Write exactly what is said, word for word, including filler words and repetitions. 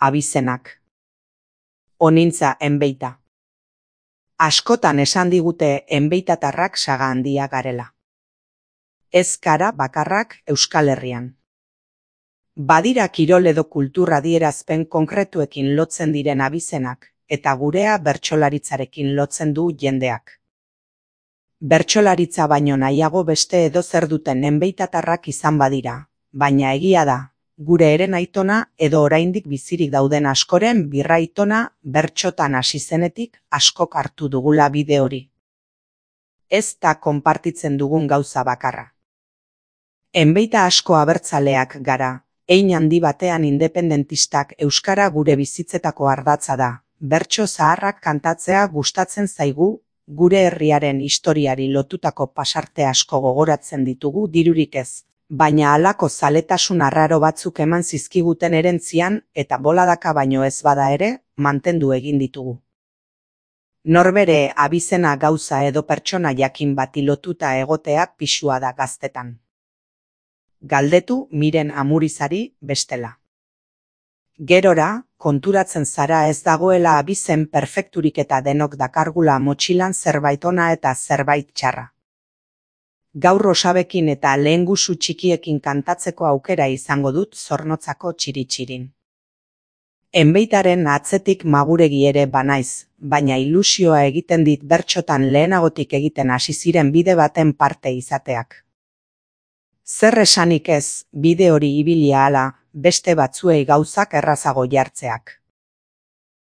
Abizenak. Onintza enbeita. Askotan esan digute enbeitatarrak saga handia garela. Ez gara bakarrak Euskal Herrian. Badira kirol edo kultura adierazpen konkretuekin lotzen diren abizenak, eta gurea bertsolaritzarekin lotzen du jendeak. Bertsolaritza baino nahiago beste edozer duten enbeitatarrak izan badira, baina egia da, gure eren aitona edo oraindik bizirik dauden askoren birraitona bertsotan hasi zenetik askok hartu dugula bide hori. Ez da konpartitzen dugun gauza bakarra. Enbeita asko abertzaleak gara, hein handi batean independentistak euskara gure bizitzetako ardatza da, bertso zaharrak kantatzea gustatzen zaigu, gure herriaren historiari lotutako pasarte asko gogoratzen ditugu dirurik ez, baina halako zaletasun arraro batzuk eman zizkiguten herentzian eta boladaka baino ez bada ere, mantendu egin ditugu. Norbere abizena gauza edo pertsona jakin bati lotuta egotea pisua da gaztetan. Galdetu Miren Amurizari bestela. Gerora, konturatzen zara ez dagoela abizen perfekturik eta denok dakargula motxilan zerbait ona eta zerbait txarra. Gaur osabekin eta lehengusu txikiekin kantatzeko aukera izango dut Zornotzako txiri-txirin. Enbeitaren atzetik maguregi ere banaiz, baina ilusioa egiten dit bertsotan lehenagotik egiten hasi ziren bide baten parte izateak. Zer esanik ez, bide hori ibilia hala, beste batzuei gauzak errazago jartzeak.